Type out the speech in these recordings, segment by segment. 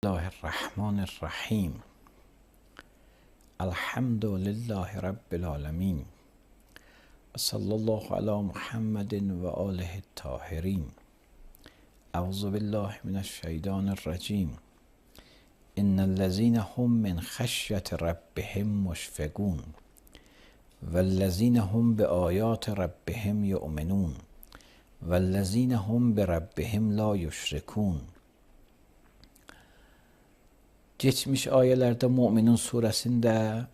الله الرحمن الرحیم. الحمد لله رب العالمین. صلی الله علی محمد و آله الطاهرین. اعوذ بالله من الشیطان الرجیم. ان الذين هم من خشیة ربهم مشفقون والذین هم بآیات ربهم یؤمنون والذین هم بربهم لا یشرکون. Geçmiş ayelerde Müminun suresinde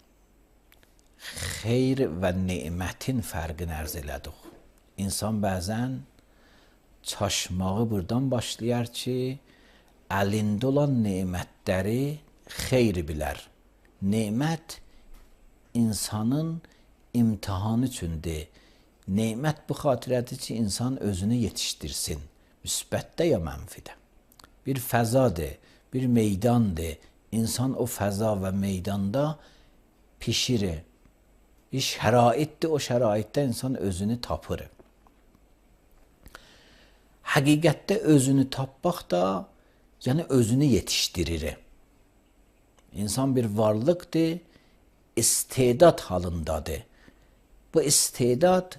xeyr və nemətin fərqini ərz elədik. İnsan bəzən çaşmağı buradan başlayar ki, əlində olan nemətləri xeyri bilər. Nemət insanın imtihanı üçündür. Nemət bu xatirədir ki, insan özünü yetişdirsin. Müsbətdə ya mənfidə. Bir fəzadır, bir meydandır. İnsan o fəza və meydanda pişirir. Bir şəraitdir, o şəraitdə insan özünü tapır. Həqiqətdə özünü tapmaq da, yəni özünü yetişdirir. İnsan bir varlıqdır, istedad halındadır. Bu istedad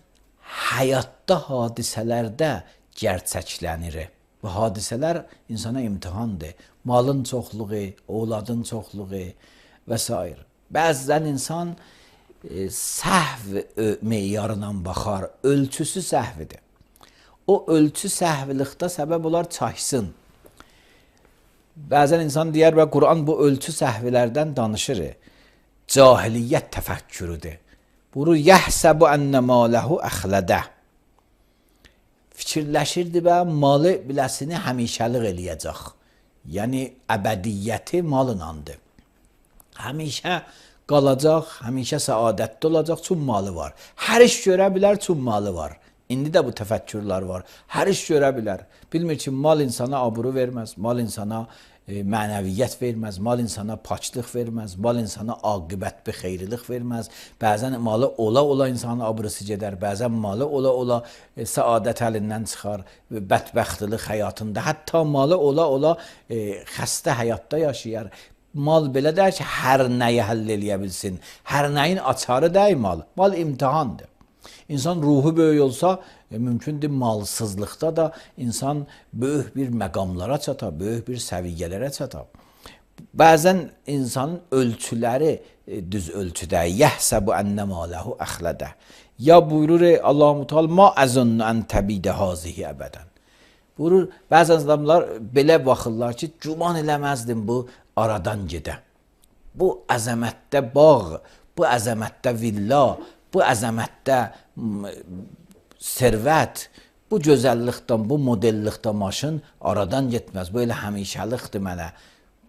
həyatda hadisələrdə gerçəklənir. Bu hadisələr insana imtihandır. Malın çoxluğu, oğladın çoxluğu və s. Bəzən insan səhv meyarına baxar, ölçüsü səhvidir. O ölçü səhvlikdə səbəb olar çaşsın. Bəzən insan deyər və Quran bu ölçü səhvlərdən danışır. Cahiliyyət təfəkkürüdür. Bunu yəhsəbu ənnə maləhu əxlədə. Fikirləşirdi və malı biləsini həmişəlik eləyəcək. Yəni, əbədiyyəti malınandır. Həmişə qalacaq, həmişə səadətli olacaq, çün malı var. Hər iş görə bilər, çün malı var. İndi də bu təfəkkürlər var. Hər iş görə bilər. Bilmir ki, mal insana aburu verməz, mal insana mənəviyyət verməz, mal insana paçlıq verməz, mal insana aqibət bir xeyrilik verməz. Bəzən malı ola-ola insanın aburusu gedər, bəzən malı ola-ola səadət əlindən çıxar, bədbəxtlik həyatında. Hətta malı ola-ola xəstə həyatda yaşayar. Mal belə deyər ki, hər nəyi həll eləyə bilsin. Hər nəyin açarı deyil mal. Mal imtihandır. İnsan ruhu böyük olsa, mümkündür malsızlıqda da insan böyük bir məqamlara çatar, böyük bir səviyyələrə çatar. Bəzən insanın ölçüləri düz ölçüdə, yəhsəbu ənnə maləhu əxlədə. Ya buyurur Allah-u Teala, ma əzunnu ən təbidə hazihi əbədən. Buyurur, bəzən adamlar belə baxırlar ki, güman eləməzdim bu aradan gedə. Bu əzəmətdə bağ, bu əzəmətdə villa, bu əzəmətdə servət, bu gözəllikdən, bu modellikdə maşın aradan getməz. Bu elə həmişəlikdir mənə.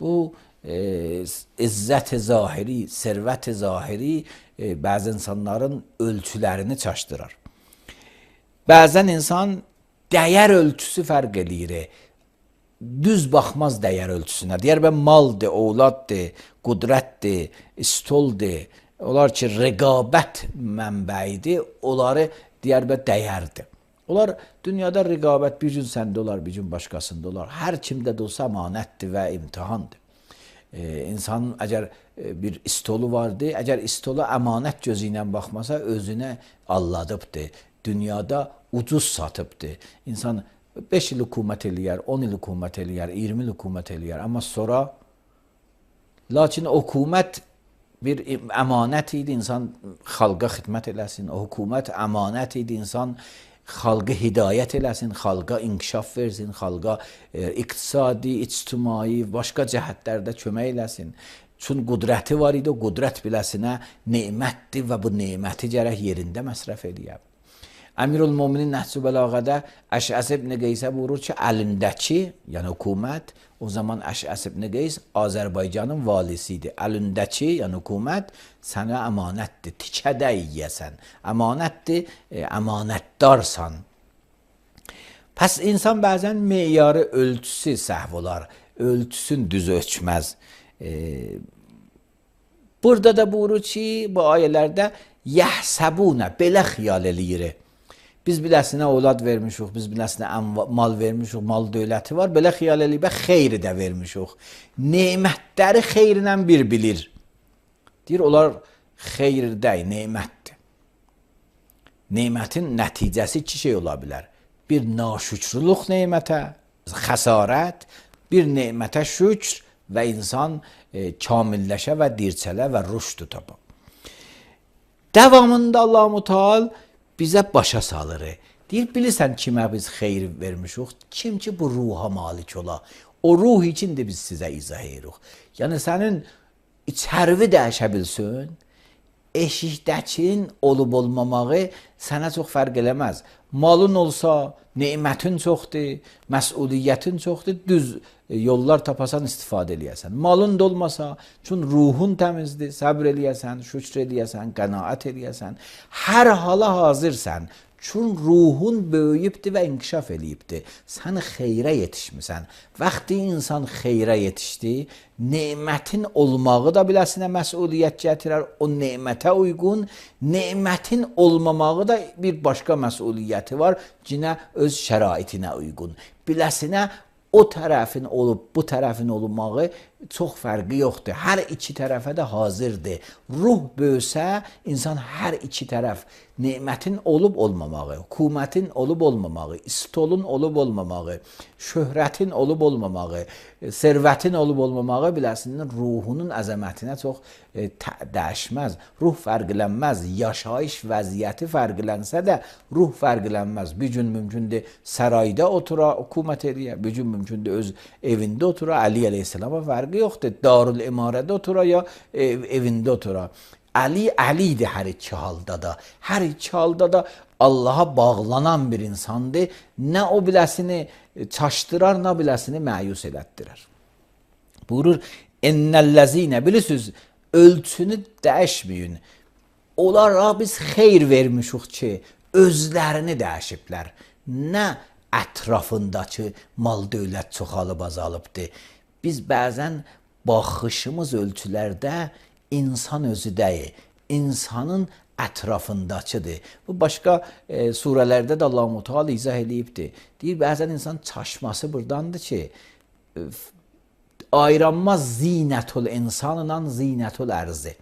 Bu izzət-i zahiri, servət-i zahiri bəzi insanların ölçülərini çaşdırar. Bəzən insan dəyər ölçüsü fərq eləyir. Düz baxmaz dəyər ölçüsünə. Deyər ben maldır, oğladdır, qudrətdir, istoldur. Onlar ki, rəqabət mənbəyidir, onları deyər və dəyərdir. Onlar dünyada rəqabət bir gün səndə olar, bir gün başqasında olar. Hər kimdə də olsa əmanətdir və imtihandır. İnsanın əgər bir istolu vardır, əgər istolu əmanət gözü ilə baxmasa, özünə alladıbdır. Dünyada ucuz satıbdır. İnsan 5 il hükümət eləyər, 10 il hükümət eləyər, 20 il hükümət eləyər. Amma sonra, lakin hükümət bir əmanət idi, insan xalqa xidmət eləsin. O hükümət əmanət idi, insan xalqı hidayət eləsin, xalqa inkişaf versin, xalqa iqtisadi, ictimai, başqa cəhətlərdə kömək eləsin. Çün qudrəti var idi, o qudrət biləsinə nemətdir və bu neməti gərək yerində məsrəf eləyər. Əmirül-Müminin Nəhcü Bəlağədə Əşəs ibn Qeysə buyurur ki, əlindəki, yəni hükümət, o zaman Əşəs ibn Qeys Azərbaycanın valisidir. Əlindəki, yəni hükümət, sənə əmanətdir, tikədə yiyəsən. Əmanətdir, əmanətdarsan. Pəs insan bəzən meyarı ölçüsü səhv olar, ölçüsün düz ölçməz. Burada da buyurur ki, bu ayələrdə yəhsəbunə, belə xiyal eləyir. Biz biləsinə evlad vermişik, biz biləsinə mal vermişik, mal dövləti var. Belə xiyal eləyib xeyri də vermişik. Nemətləri xeyrinə bir bilir. Deyir, onlar xeyr deyil, nemətdir. Nemətin nəticəsi iki şey ola bilər. Bir naşükrlük nemətə, xəsarət, bir nemətə şükr və insan kamilləşə və dirçələ və rüşd tapa. Davamında Allah-u Teala bizə başa salır. Deyir, bilirsən kimə biz xeyr vermişik? Kim ki bu ruha malik ola. O ruh için də biz sizə izah edirik. Yəni sənin içərvi dəyişə bilsin, eşikdəkin olub olmamağı sənə çox fərq eləməz. Malın olsa, nemətin çoxdur, məsuliyyətin çoxdur, düz yollar tapasan istifadə eləyəsən. Malın da olmasa, çünki ruhun təmizdir, səbr eləyəsən, şükr eləyəsən, qənaət eləyəsən. Hər hala hazırsan. Çünki ruhun böyüyübdür və inkişaf eləyibdir. Sən xeyrə yetişmisən. Vaxtı insan xeyrə yetişdi, nemətin olmağı da biləsinə məsuliyyət gətirər. O nemətə uyğun, nemətin olmamağı da bir başqa məsuliyyəti var. Cinə öz şəraitinə uyğun. Biləsinə o tərəfin olub, bu tərəfin olmağı çox fərqi yoxdur. Hər iki tərəfə də hazırdır. Ruh böyüsə, insan hər iki tərəf, nemətin olub olmamağı, hökumətin olub olmamağı, istolun olub olmamağı, şöhrətin olub olmamağı, servətin olub olmamağı biləsinin ruhunun əzəmətinə çox dəyişməz. Ruh fərqlənməz. Yaşayış vəziyyəti fərqlənsə də ruh fərqlənməz. Bir gün mümkündür sarayda otura, hökumət eləyə, bir gün mümkündür öz evində otura, Ali əleyhissalama fərqi yoxdur. Darül imarədə otura ya evində otura. Əlidir hər iki halda da. Hər iki halda da Allaha bağlanan bir insandır. Nə o biləsini çaşdırar, nə biləsini məyus elətdirir. Buyurur, ennəl-ləzinə, bilirsiniz, ölçünü dəyişməyin. Onlara biz xeyr vermişik ki, özlərini dəyişiblər. Nə ətrafındakı mal dövlət çoxalıb azalıbdır. Biz bəzən baxışımız ölçülərdə insan özü deyil, insanın ətrafındakıdır. Bu başqa surələrdə də Allah-u Teala izah eləyibdir. Deyir, bəzən insan çaşması burdandır ki, ayıranmaz zinətul insanla zinətul ərzi.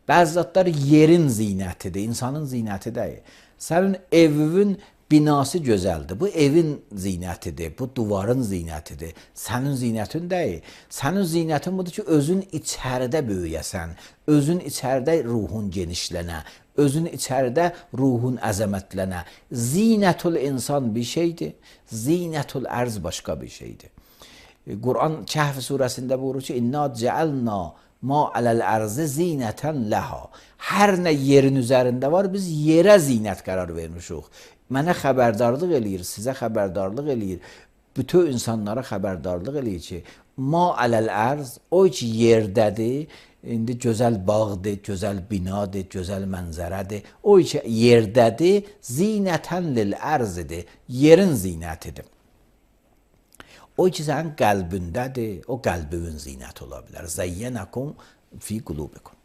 Bəzi zatlar yerin zinətidir, insanın zinəti deyil. Sənin evin binası gözəldir. Bu evin zinətidir, bu duvarın zinətidir. Sənin zinətin deyil. Sənin zinətin budur ki, özün içəridə böyüyəsən, özün içəridə ruhun genişlənə, özün içəridə ruhun əzəmətlənə. Zinətul insan bir şeydir, zinətul ərz başqa bir şeydir. Quran Kəhf surəsində buyurur ki, İnna cəəlna ma aləl ərzə zinətən ləha. Hər nə yerin üzərində var, biz yerə zinət qərar vermişik. Mənə xəbərdarlıq eləyir, sizə xəbərdarlıq eləyir, bütün insanlara xəbərdarlıq eləyir ki, ma aləl ərz, o ki yerdədir, indi gözəl bağdır, gözəl binadır, gözəl mənzərədir, o ki yerdədir, zinətən lil ərzidir, yerin zinətidir. O ki sənin qəlbindədir, o qəlbinin zinəti ola bilər. Zəyyənəkum fi qulubikum.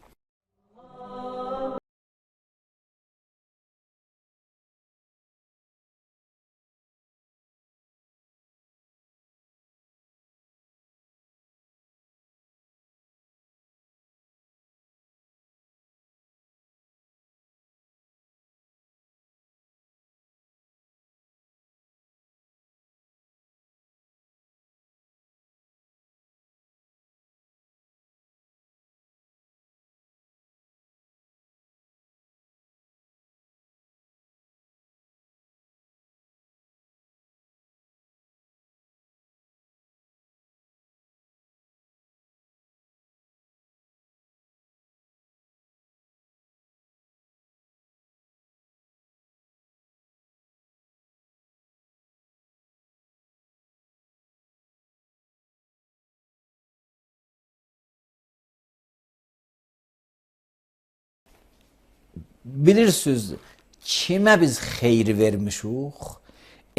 Bilirsiniz, kimə biz xeyr vermişik?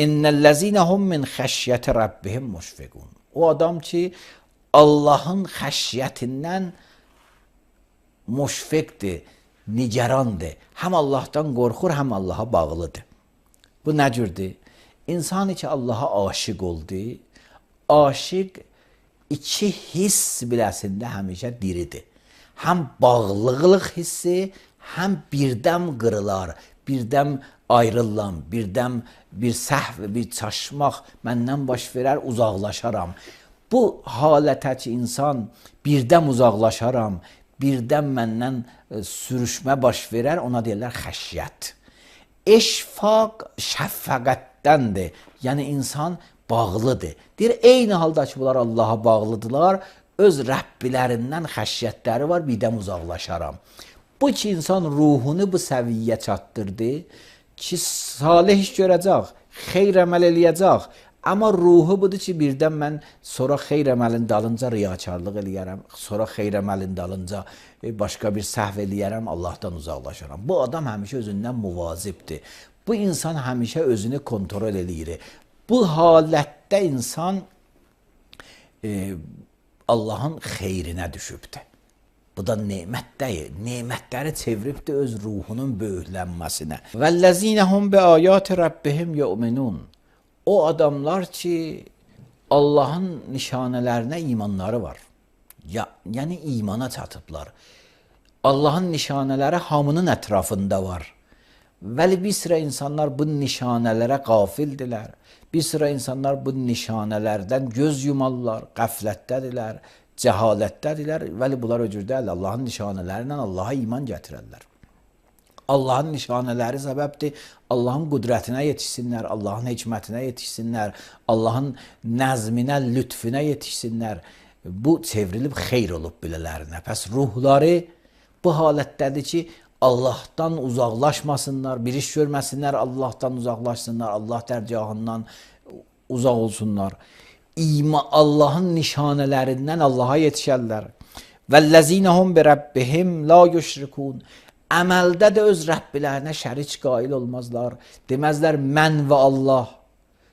İnnellezine hum min xəşyəti rabbihim müşfiqun. O adam ki, Allahın xəşyətindən müşfiqdir, nigarandır. Həm Allahdan qorxur, həm Allaha bağlıdır. Bu nə cürdür? İnsan ki Allaha aşiq oldu. Aşiq iki hiss biləsində həmişə diridir. Həm bağlılıq hissi, həm birdəm qırılar, birdəm ayrılam, birdəm bir səhv, bir çaşmaq məndən baş verər, uzaqlaşaram. Bu halətə ki, insan birdəm uzaqlaşaram, birdəm məndən sürüşmə baş verər, ona deyirlər xəşyət. Eşfaq şəffəqətdəndir. Yəni insan bağlıdır. Deyir, eyni halda ki, bunlar Allaha bağlıdırlar, öz Rəbbilərindən xəşyətləri var, birdən uzaqlaşaram. Bu ki, insan ruhunu bu səviyyə çatdırdı ki, salih iş görəcək, xeyr əməl eləyəcək. Amma ruhu budur ki, birdən mən sonra xeyr əməlin dalınca riyakarlıq eləyərəm, sonra xeyr əməlin dalınca başqa bir səhv eləyərəm, Allahdan uzaqlaşaram. Bu adam həmişə özündən muvazibdir. Bu insan həmişə özünü kontrol eləyir. Bu halətdə insan Allahın xeyrinə düşübdür. Bu da nemət deyil. Nemətləri çeviribdir öz ruhunun böyüklənməsinə. Vəllezînehum bi âyâti rabbihim yu'minun. O adamlar ki Allahın nişanələrinə imanları var. Yəni imana çatıblar. Allahın nişanələri hamının ətrafında var. Vəli bir sıra insanlar bu nişanələrə qafildilər. Bir sıra insanlar bu nişanələrdən göz yumarlar, qəflətdədirlər, cəhalətdədirlər. Vəli bunlar öcürdələr. Allahın nişanələri ilə Allaha iman gətirərlər. Allahın nişanələri səbəbdir. Allahın qüdrətinə yetişsinlər, Allahın hikmətinə yetişsinlər, Allahın nəzminə, lütfüne yetişsinlər. Bu çevrilib xeyr olub bilələrinə. Pəs ruhları bu halətdədir ki, Allahdan uzaqlaşmasınlar, bir iş görməsinlər, Allahdan uzaqlaşsınlar, Allah dərgahından uzaq olsunlar. Allahın nişanələrindən Allaha yetişərlər. Vəllezînehum bi rabbihim la yüşrikun. Əməldə də öz Rəbbilərinə şərik qail olmazlar. Deməzlər mən və Allah,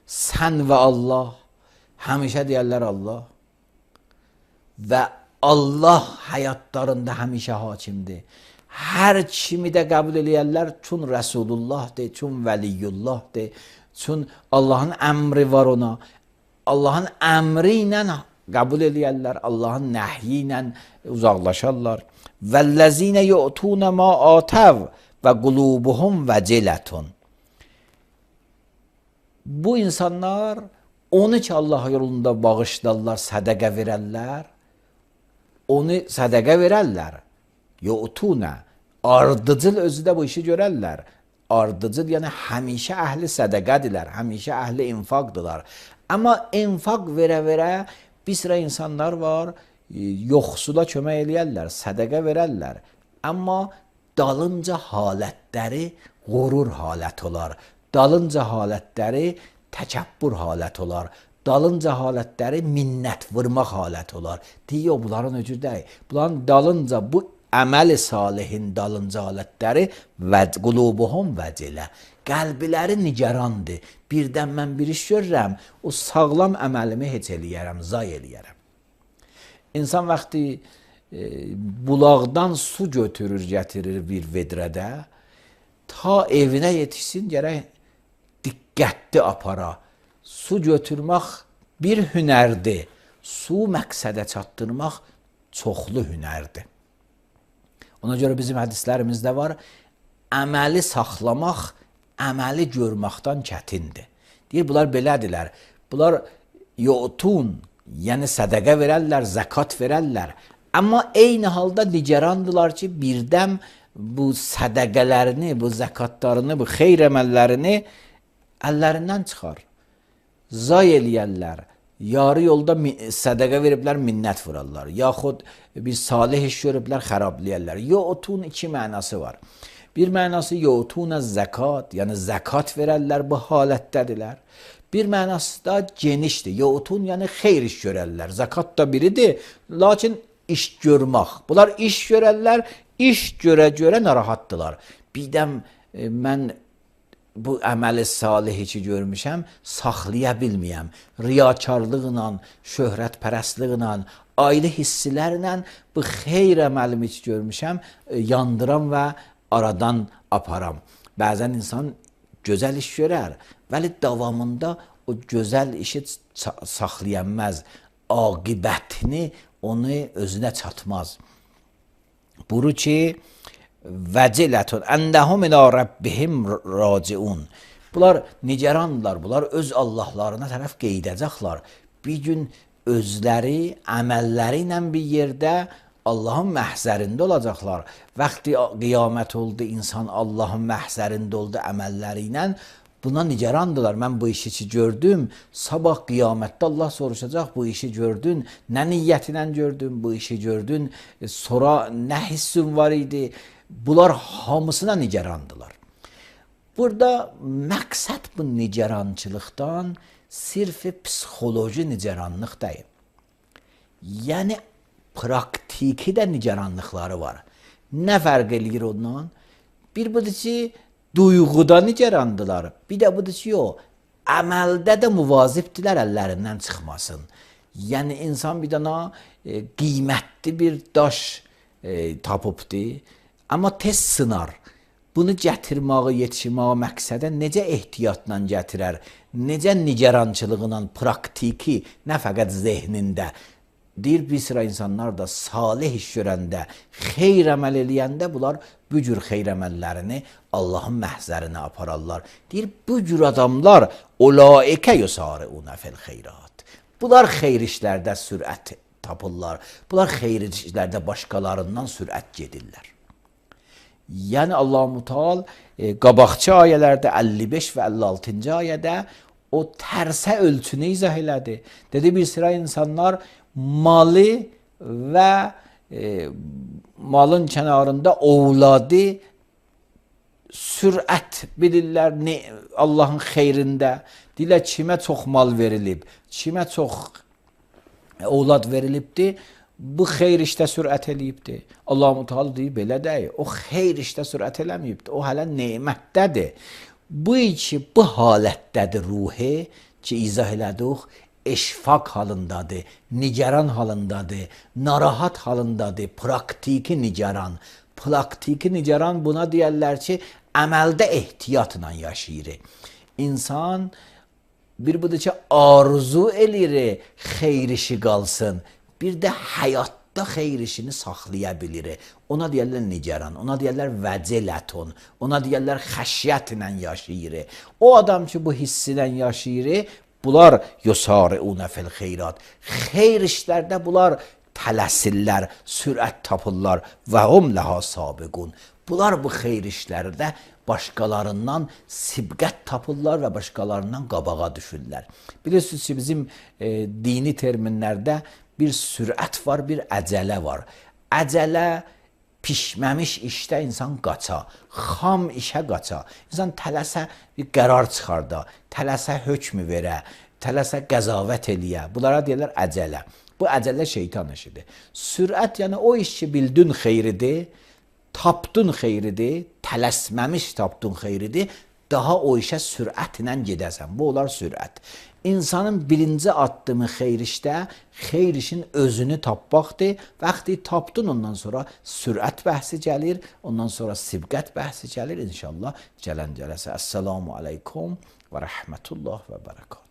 sən və Allah. Həmişə deyərlər Allah. Və Allah həyatlarında həmişə hakimdir. Hər kimi də qəbul eləyərlər, çün Rəsulullahdır, çün Vəliyullahdır, çün Allahın əmri var ona. Allahın əmri ilə qəbul eləyərlər, Allahın nəhyi ilə uzaqlaşarlar. Vəllezîne yu'tûne mâ âtev və qulûbuhum vəcilətun. Bu insanlar onu ki Allah yolunda bağışlarlar, sədəqə verərlər, onu sədəqə verərlər. Yu'tûne, ardıcıl özü də bu işi görərlər. Ardıcıl yəni həmişə əhli sədəqədirlər, həmişə əhli infaqdırlar. Amma infaq verə-verə bir sıra insanlar var, yoxsula kömək eləyərlər, sədəqə verərlər. Amma dalınca halətləri qurur halət olar. Dalınca halətləri təkəbbür halət olar. Dalınca halətləri minnət vurmaq halət olar. Deyir, bunların öcür deyil. Bunların dalınca bu əməl-i salihin dalınca halətləri qulubuhum vəcilə. Qəlbiləri nigarandır. Birdən mən bir iş görürəm, o sağlam əməlimi heç eləyərəm, zay eləyərəm. İnsan vaxtı bulaqdan su götürür, gətirir bir vedrədə, ta evinə yetişsin, gərək diqqətli apara. Su götürmək bir hünərdir, su məqsədə çatdırmaq çoxlu hünərdir. Ona görə bizim hədislərimizdə var, əməli saxlamaq, əməli görməkdən çətindir. Deyir, bunlar belədirlər, bunlar yu'tun, yəni sədəqə verərlər, zəkat verərlər. Amma eyni halda nigarandılar ki, birdən bu sədəqələrini, bu zəkatlarını, bu xeyr əməllərini əllərindən çıxar. Zay eləyərlər. Yarı yolda sədəqə veriblər, minnət vurarlar. Yaxud bir salih iş görüblər, xərabləyərlər. Yu'tun iki mənası var. Bir mənası yu'tuna zəkat, yəni zəkat verərlər, bu halətdədirlər. Bir mənası da genişdir. Yu'tun yəni xeyr iş görərlər. Zakat da biridir, lakin iş görmək. Bunlar iş görərlər, iş görə-görə narahatdılar. Birdən mən bu əməli salihi ki görmüşəm, saxlaya bilməyəm. Riyakarlıqla, şöhrətpərəstliklə, ailə hissilərlə bu xeyr əməlimi ki görmüşəm, yandıram və aradan aparam. Bəzən insan gözəl iş görər, vəli davamında o gözəl işi saxlaya bilməz. Aqibətini onu özünə çatmaz. Buru ki, vəcilətun əndəhum ilə Rabbihim raciun. Bunlar nigarandırlar, bunlar öz Allahlarına tərəf qeydəcəklər. Bir gün özləri, əməlləri ilə bir yerdə Allahın məhzərində olacaqlar. Vaxtı qiyamət oldu, insan Allahın məhzərində oldu əməlləri ilə. Buna nigarandırlar. Mən bu işi gördüm. Sabah qiyamətdə Allah soruşacaq, bu işi gördün. Nə niyyətinlə gördün, bu işi gördün. Sonra nə hissin var idi? Bunlar hamısına nigarandılar. Burada məqsəd bu nigarançılıqdan sirf psixoloji nigaranlıq deyil. Yəni praktiki də nigaranlıqları var. Nə fərq eləyir ondan? Bir budur ki, duyğuda nigarandılar. Bir də budur ki, yox, əməldə də muvazibdilər əllərindən çıxmasın. Yəni insan bir dana qiymətli bir daş tapıbdı, amma tez sınar. Bunu gətirməyə, yetişməyə məqsədə necə ehtiyatla gətirər, necə nigarançılığıyla praktiki, nə fəqət zehnində. Deyir, bir sıra insanlar da salih iş görəndə, xeyr əməl eləyəndə bunlar bu cür xeyr əməllərini Allahın məhzərinə apararlar. Deyir, bu cür adamlar ulaikə yusari'una fil xeyrat. Bunlar xeyr işlərdə sürət tapırlar. Bunlar xeyr işlərdə başqalarından sürət gedirlər. Yəni Allah-u Teala qabaqçı ayələrdə 55 və 56-cı ayədə o tərsə ölçünü izah elədi. Dedi, bir sıra insanlar malı və malın kənarında ovladı sürət bilirlər Allahın xeyrində. Deyirlər, kimə çox mal verilib, kimə çox ovlad verilibdir, bu xeyr işdə sürət eləyibdir. Allah-u Teala deyir, belə deyil. O xeyr işdə sürət eləməyibdir. O hələ nemətdədir. Bu ki, bu halətdədir ruhi ki, izah elədik, eşfaq halındadır, nigaran halındadır, narahat halındadır, praktiki nigaran. Praktiki nigaran buna deyərlər ki, əməldə ehtiyatla yaşayır. İnsan bir budur ki, arzu eləyir, xeyr işi qalsın. Bir də həyatda xeyr işini saxlaya bilir. Ona deyərlər nigaran, ona deyərlər vəcilətun, ona deyərlər xəşyətlə yaşayır. O adam ki, bu hissi ilə yaşayır, bunlar yusari'una fil xeyrat. Xeyr işlərdə bunlar tələsirlər, sürət tapırlar və hum laha sabiqun. Bunlar bu xeyr işlərdə başqalarından sibqət tapırlar və başqalarından qabağa düşürlər. Bilirsiniz ki, bizim dini terminlərdə bir sürət var, bir əcələ var. Əcələ pişməmiş işdə insan qaça, xam işə qaça. İnsan tələsə bir qərar çıxarda, tələsə hökmü verə, tələsə qəzavət eləyə. Bunlara deyirlər əcələ. Bu əcələ şeytan işidir. Sürət yəni o iş ki, bildin xeyridir, tapdın xeyridir, tələsməmiş tapdın xeyridir, daha o işə sürətlə gedəsən. Bu olar sürət. İnsanın birinci addımı xeyr işdə, xeyr işin özünü tapmaqdır. Vaxtı tapdın, ondan sonra sürət bəhsi gəlir, ondan sonra sibqət bəhsi gəlir. İnşallah gələn cələsə. Əssalamu aleykum və rəhmətullah və bərəkət.